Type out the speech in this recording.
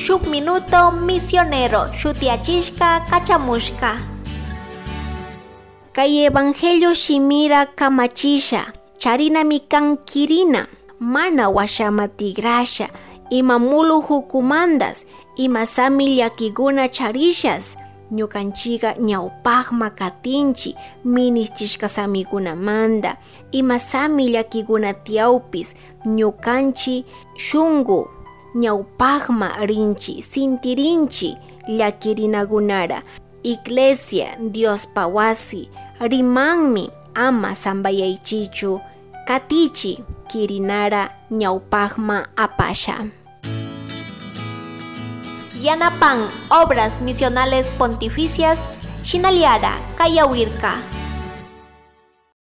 Shuk Minuto Misionero shutiachishka kachamushka. Kay evangelio shimira kamachisha, charinami kan kirina, mana washama tigrasha, ima mulu hukumandas, ima sami llakiguna charishas, ñukanchiga ñawpaqma katinchi ministishka samikunamanta, ima sami llakiguna tiyawpis ñukanchi shunku ñawpaqma rinchi, sintirinchi llakirinakunara. Iglesia Diospa wasi rimanmi ama sambayaychichu, katichi kirinara ñawpaqma apasha. Yanapan Obras Misionales Pontificias, Shinaliara, Kayawirka.